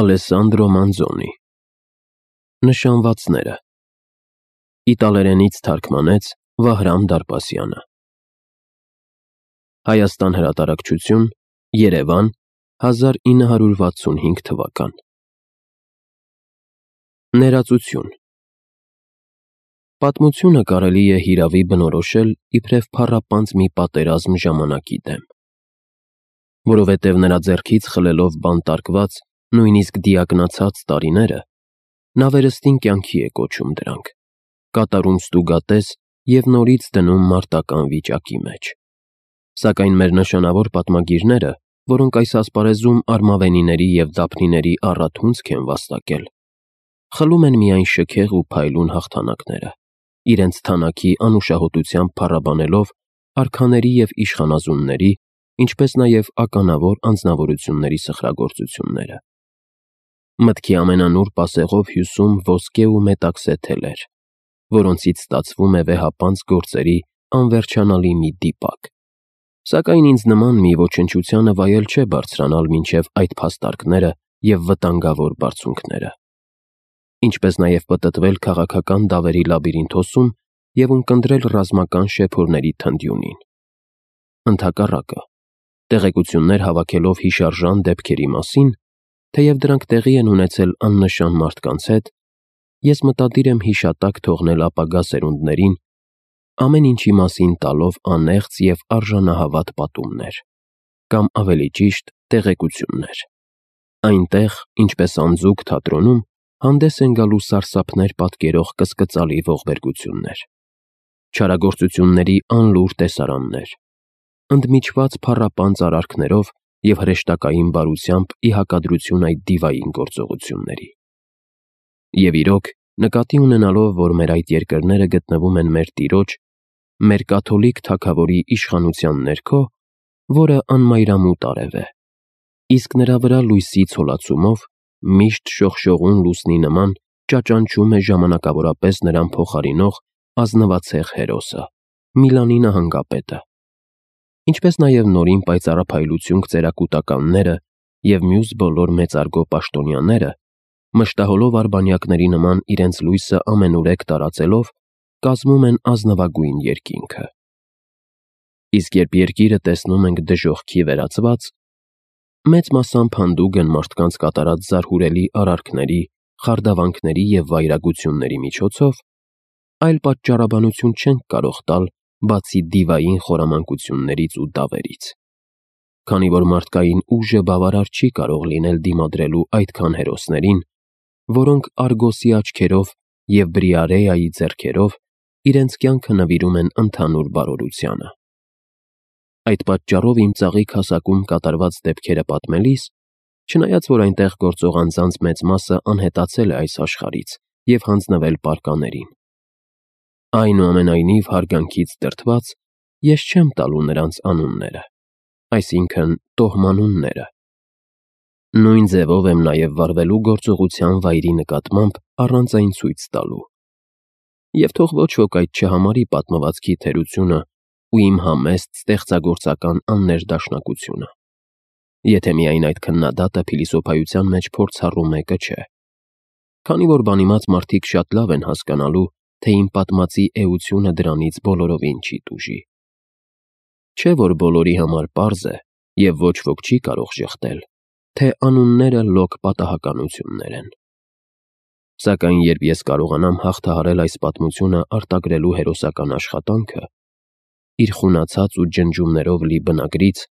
Ալեսանդրո Մանզոնի Նշանվածները Իտալերենից թարգմանեց Վահրամ Դարպասյանը Հայաստան հրատարակչություն Երևան 1965 թվական Ներածություն Պատմությունը կարելի է հիրավի բնորոշել իբրև փառապանծ մի պատերազմ ժամանակի դեմ, որովհետև նրա ձեռքից խլելով բանտարկված, նույնիսկ դիակնացած տարիները, նա վերստին կյանքի է կոչում դրանք, կատարում ստուգատես և նորից դնում մարտական վիճակի մեջ, սակայն մեր նշանավոր պատմագիրները, որոնք այս ասպարեզում արմավենիների և դափնիների առաթունցք են վաստակել, խլում են միայն շքեղ ու փայլուն հաղթանակները, իրենց թանաքի անուշահոտությամբ փառաբանելով արքաների և իշխանազունների, ինչպես նաև ականավոր անձնավորությունների սխրագործությունները։ Մտքի ամենանուրբ ասեղով հյուսում ոսկե ու մետաքսե թելեր, որոնցից ստացվում է վեհապանծ գործերի անվերջանալի մի դիպակ, սակայն ինձ նման մի ոչնչությանը վայել չէ բարձրանալ մինչև այդ փաստարկները և վտանգավոր բարձունքները, ինչպես նաև պտտվել քաղաքական դավերի լաբիրինթոսում և ունկնդրել ռազմական շեփորների թնդյունին։ Ընդհակառակը, տեղեկություններ հավաքելով հիշարժան դեպքերի մասին, թեև դրանք տեղի են ունեցել աննշան մարդկանց հետ, ես մտադիր եմ հիշատակ թողնել ապագա սերունդներին, ամեն ինչի մասին տալով անեղծ և արժանահավատ պատումներ, կամ ավելի ճիշտ տեղեկություններ։ Այնտեղ, ինչպես անձուկ թատրոնում, հանդես են գալու սարսափներ պատկերող կսկծալի ողբերգություններ, չարագործությունների անլուր տեսարաններ, ընդմիջված փառապանծ արարքներով և հրեշտակային բարությամբ ի հակադրություն այդ դիվային գործողությունների։ Եվ իրոք, նկատի ունենալով, որ մեր այդ երկրները գտնվում են մեր Տիրոջ, մեր կաթոլիկ թագավորի իշխանության ներքո, որը անմայրամուտ արև է, իսկ նրա վրա լույսի ցոլացումով, միշտ շողշողուն լուսնի նման ճաճանչում է ժամանակավորապես նրան փոխարինող ազնվացեղ հերոսը, Միլանի նահանգապետը, ինչպես նաև նորին պայծառափայլություն ծերակուտականները և մյուս բոլոր մեծարգո պաշտոնյաները, մշտահոլով արբանյակների նման իրենց լույսը ամենուրեք տարածելով, կազմում են ազնվագույն երկինքը։ Իսկ երբ երկիրը տեսնում ենք դժոխքի վերածված, մեծ մասամբ հանդուգն մարդկանց կատարած զարհուրելի արարքների, խարդավանքների և վայրագությունների միջոցով, այլ պատճառաբանություն չենք կարող տալ, բացի դիվային խորամանկություններից ու դավերից, քանի որ մարդկային ուժը բավարար չի կարող լինել դիմադրելու այդքան հերոսներին, որոնք Արգոսի աչքերով և Բրիարեայի ձեռքերով իրենց կյանքը նվիրում են ընդհանուր բարօրությանը։ Այդ պատճառով իմ ծաղիկ հասակում կատարված դեպքերը պատմելիս, չնայած որ այնտեղ գործող անձանց մեծ մասը անհետացել է այս աշխարհից և հանձնվել պարկաներին, այնուամենայնիվ հարգանքից դրդված, ես չեմ տալու նրանց անունները, այսինքն տոհմանունները։ Նույն ձևով եմ նաև վարվելու գործողության վայրի նկատմամբ առանց այն ցույց տալու։ Եվ թող ոչ ոք այդ չհամարի պատմվածքի թերությունը ու իմ համեստ ստեղծագործական աններդաշնակությունը, եթե միայն այդ քննադատը փիլիսոփայության մեջ փորձառու մեկը չէ, քանի որ բանիմաց մարդիկ շատ լավ են հասկանալու, թե իմ պատմածի էությունը դրանից բոլորովին չի տուժի։ Չէ՞ որ բոլորի համար պարզ է, և ոչ ոք չի կարող ժխտել, թե անունները լոկ պատահականություններ են։ Սակայն երբ ես կարողանամ հաղթահարել այս պատմությունը արտագրելու հերոսական աշխատանքը, իր խունացած ու ջնջումներով լի բնագրից,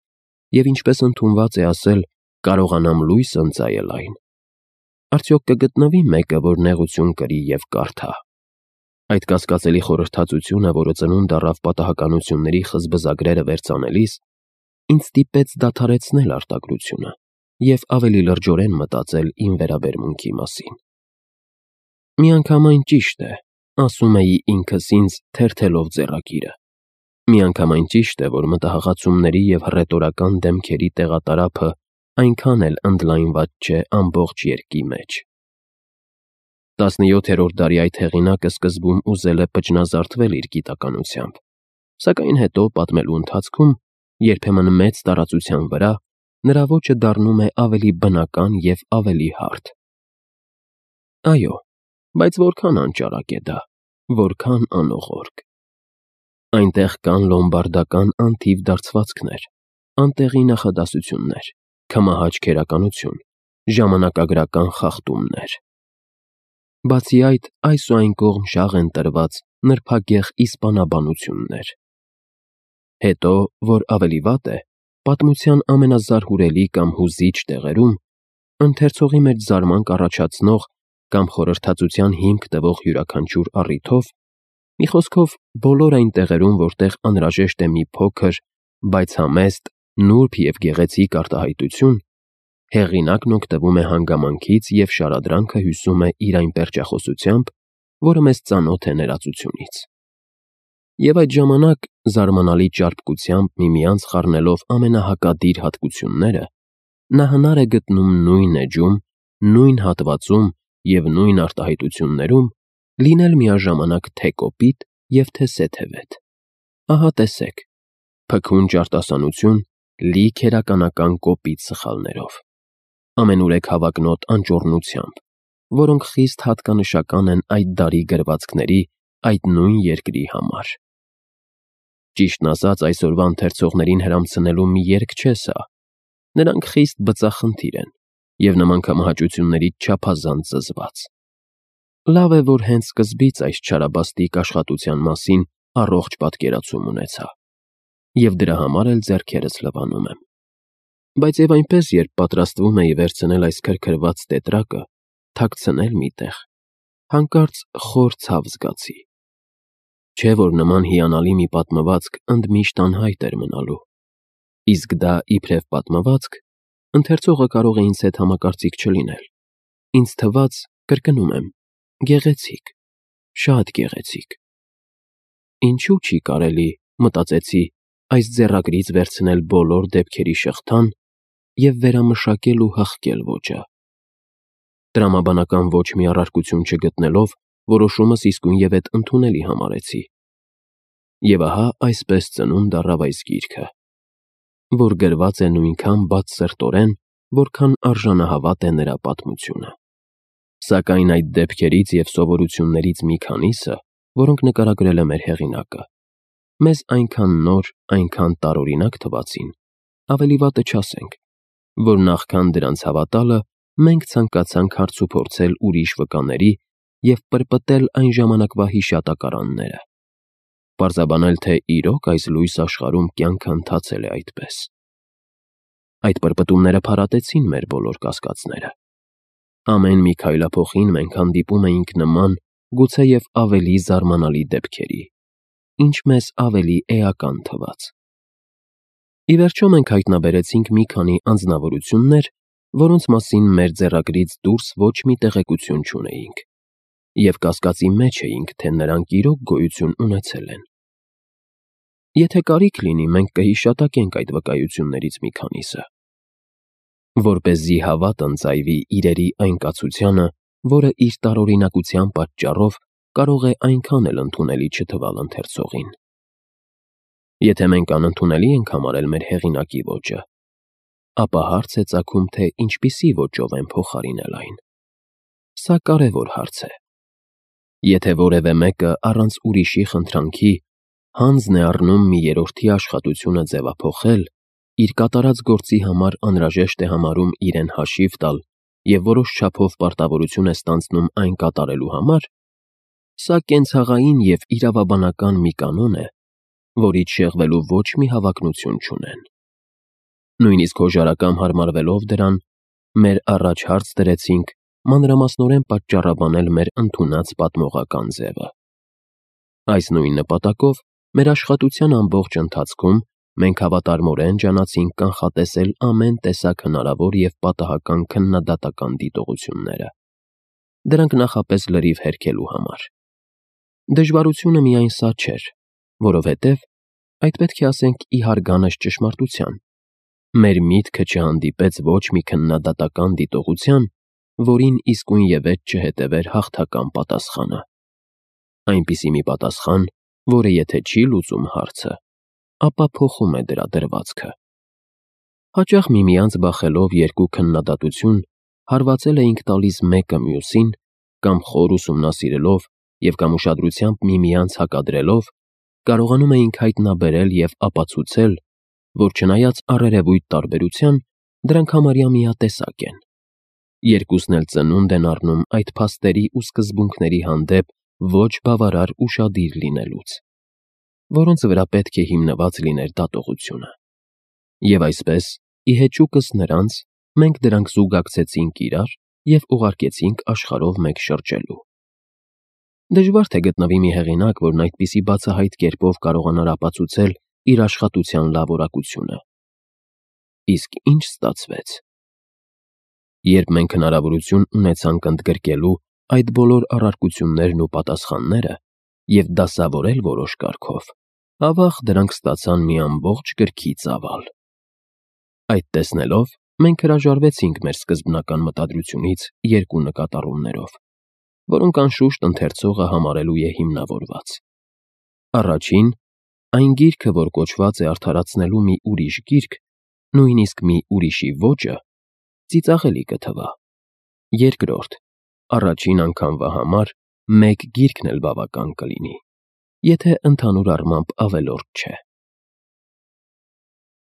և ինչպես ընդունված է ասել, կարողանամ լույս ընծայել այն, արդյոք կգտնվի մեկը, որ նեղություն կրի և կարդա։ Այդ կասկածելի խորհրդածությունը, որը ծնունդ առավ պատահականությունների խզբզագրերը վերծանելիս, ինձ ստիպեց դադարեցնել արտագրությունը և ավելի լրջորեն մտածել իմ վերաբերմունքի մասին։ Միանգամայն ճիշտ է, ասում էի ինքս ինձ թերթելով ձեռագիրը, միանգամայն ճիշտ է, որ մտահղացումների և հռետորական դեմքերի տեղատարափը այնքան էլ ընդլայնված չէ ամբողջ երկի մեջ։ 17-րդ դարի այդ հեղինակը սկզբում ուզել է պճնազարդվել իր գիտականությամբ, սակայն հետո պատմելու ընթացքում, երբեմն մեծ տարածության վրա, նրա ոճը դառնում է ավելի բնական և ավելի հարթ։ Այո, բայց որքան անճարակ է դա, որքան անողորկ։ Այնտեղ կան լոմբարդական անթիվ դարձվածքներ, անտեղի նախադասություններ, քմահաճ քերականություն, ժամանակագրական խախտումներ։ Բացի այդ, այս ու այն կողմ շաղ են տրված նրբագեղ իսպանաբանություններ։ Հետո, որ ավելի վատ է, պատմության ամենազարհուրելի կամ հուզիչ տեղերում, ընթերցողի մեջ զարմանք առաջացնող կամ խորհրդածության հիմք տվող յուրաքանչյուր առիթով, մի խոսքով բոլոր այն տեղերում, որտեղ անհրաժեշտ է մի փոքր, բայց համեստ, նուրբ և գեղեցիկ արտահայտություն, հեղինակն օգտվում է հանգամանքից և շարադրանքը հյուսում է իր այն պերճախոսությամբ, որը մեզ ծանոթ է ներածությունից։ Եվ այդ ժամանակ, զարմանալի ճարպկությամբ միմյանց խառնելով ամենահակադիր հատկությունները, նա հնար է գտնում նույն էջում, նույն հատվածում և նույն արտահայտություններում լինել միաժամանակ թե կոպիտ և թե սեթևետ։ Ահա տեսեք, փքուն ճարտասանություն լի քերականական կոպիտ սխալներով, ամենուրեք հավակնոտ անճոռնությամբ, որոնք խիստ հատկանշական են այդ դարի գրվածքների, այդ նույն երկրի համար։ Ճիշտն ասած, այսօրվա ընթերցողներին հրամցնելու մի երգ չէ սա։ Նրանք խիստ բծախնդիր են և նման քմահաճություններից չափազանց զզված։ Լավ է, որ հենց սկզբից այս չարաբաստիկ աշխատության մասին առողջ պատկերացում ունեցա, և դրա համար էլ ձեռքերս լվանում եմ։ Բայց և այնպես, երբ պատրաստվում էի վերցնել այս քրքրված տետրակը, թաքցնել մի տեղ, հանկարծ խոր ցավ զգացի։ Չէ՞ որ նման հիանալի մի պատմվածք ընդմիշտ անհայտ էր մնալու։ Իսկ դա իբրև պատմվածք, ընթերցողը կարող է ինձ հետ համակարծիք չլինել։ Ինձ թվաց, կրկնում եմ, գեղեցիկ, շատ գեղեցիկ։ Ինչու՞ չի կարելի, մտածեցի, այս ձեռագրից վերցնել բոլոր դեպքերի շղթան և վերամշակել ու հղկել ոճը։ Տրամաբանական ոչ մի առարկություն չգտնելով, որոշումս իսկույնևեթ ընդունելի համարեցի։ Եվ ահա այսպես ծնունդ առավ այս գիրքը, որ գրված է նույնքան բացսրտորեն, որքան արժանահավատ է նրա պատմությունը։ Սակայն այդ դեպքերից և սովորություններից մի քանիսը, որոնք նկարագրել է մեր հեղինակը, մեզ այնքան նոր, այնքան տարօրինակ թվացին, ավելի վատը չասենք, որ նախքան դրանց հավատալը, մենք ցանկացանք հարցուփորձել ուրիշ վկաների և պրպտել այն ժամանակվա հիշատակարանները, պարզաբանել, թե իրոք այս լույս աշխարհում կյանքը ընթացել է այդպես։ Այդ պրպտումները փարատեցին մեր բոլոր կասկածները։ Ամեն մի քայլափոխին մենք հանդիպում էինք նման, գուցեև ավելի զարմանալի դեպքերի, ինչ մեզ ավելի էական թվաց։ Ի վերջո մենք հայտնաբերեցինք մի քանի անձնավորություններ, որոնց մասին մեր ձեռագրից դուրս ոչ մի տեղեկություն չունեինք, և կասկածի մեջ էինք, թե նրանք իրոք գոյություն ունեցել են։ Եթե կարիք լինի, մենք կհիշատակենք այդ վկայություններից մի քանիսը, որպեսզի հավատ ընծայվի իրերի այն կացությանը, որը իր տարօրինակության պատճառով կարող է այնքան էլ ընդունելի չթվալ ընթերցողին։ Եթե մենք անընդունելի ենք համարել մեր հեղինակի ոճը, ապա հարց է ծագում, թե ինչպիսի ոճով են փոխարինել այն։ Սա կարևոր հարց է։ Եթե որևէ մեկը առանց ուրիշի խնդրանքի հանձն է առնում մի երրորդի աշխատությունը ձևափոխել, իր կատարած գործի համար անհրաժեշտ է համարում իրեն հաշիվ տալ և որոշ չափով պարտավորություն է ստանձնում այն կատարելու համար, սա կենցաղային և իրավաբանական մի կանոն է, որից շեղվելու ոչ մի հավակնություն չունեն։ Նույնիսկ հոժարակամ հարմարվելով դրան, մեր առաջ հարց դրեցինք մանրամասնորեն պատճառաբանել մեր ընդունած պատմողական ձևը։ Այս նույն նպատակով մեր աշխատության ամբողջ ընթացքում մենք հավատարմորեն ջանացինք կանխատեսել ամեն տեսակ հնարավոր և պատահական քննադատական դիտողությունները, դրանք նախապես լրիվ հերքելու համար։ Դժվարությունը միայն սա չէր, որովհետև, այդ պետք է ասենք ի հարգանս ճշմարտության, մեր միտքը չհանդիպեց ոչ մի քննադատական դիտողության, որին իսկույնևեթ չհետևեր հաղթական պատասխանը։ Այնպիսի մի պատասխան, որը եթե չի լուծում հարցը, ապա փոխում է դրա դրվածքը։ Հաճախ միմյանց բախելով երկու քննադատություն, հարվածել էինք տալիս մեկը մյուսին, կամ խոր ուսումնասիրելով և կամ ուշադրությամբ միմյանց հակադրելով, կարողանում էինք հայտնաբերել և ապացուցել, որ չնայած առերևույթ տարբերության, դրանք համարյա միատեսակ են։ Երկուսն էլ ծնունդ են առնում այդ փաստերի ու սկզբունքների հանդեպ ոչ բավարար ուշադիր լինելուց, որոնց վրա պետք է հիմնված լիներ դատողությունը։ Եվ այսպես, ի հեճուկս նրանց, մենք դրանք զուգակցեցինք իրար և ուղարկեցինք աշխարհով մեկ շրջելու։ Դժվար թե գտնվի մի հեղինակ, որն այդպիսի բացահայտ կերպով կարողանար ապացուցել իր աշխատության լավորակությունը։ Իսկ ինչ ստացվեց։ Երբ մենք հնարավորություն ունեցանք ընդգրկելու այդ բոլոր առարկություններն ու պատասխանները և դասավորել որոշ կարգով, ավաղ դրանք ստացան մի ամբողջ գրքի ծավալ։ Այդ տեսնելով, մենք հրաժարվեցինք մեր սկզբնական մտադրությունից երկու նկատառումներով, որոնք անշուշտ ընթերցողը համարելու է հիմնավորված։ Առաջին, այն գիրքը, որ կոչված է արդարացնելու մի ուրիշ գիրք, նույնիսկ մի ուրիշի ոճը, ծիծաղելի կթվա։ Երկրորդ, առաջին անգամվա համար մեկ գիրքն էլ բավական կլինի, եթե ընդհանուր առմամբ ավելորդ չէ։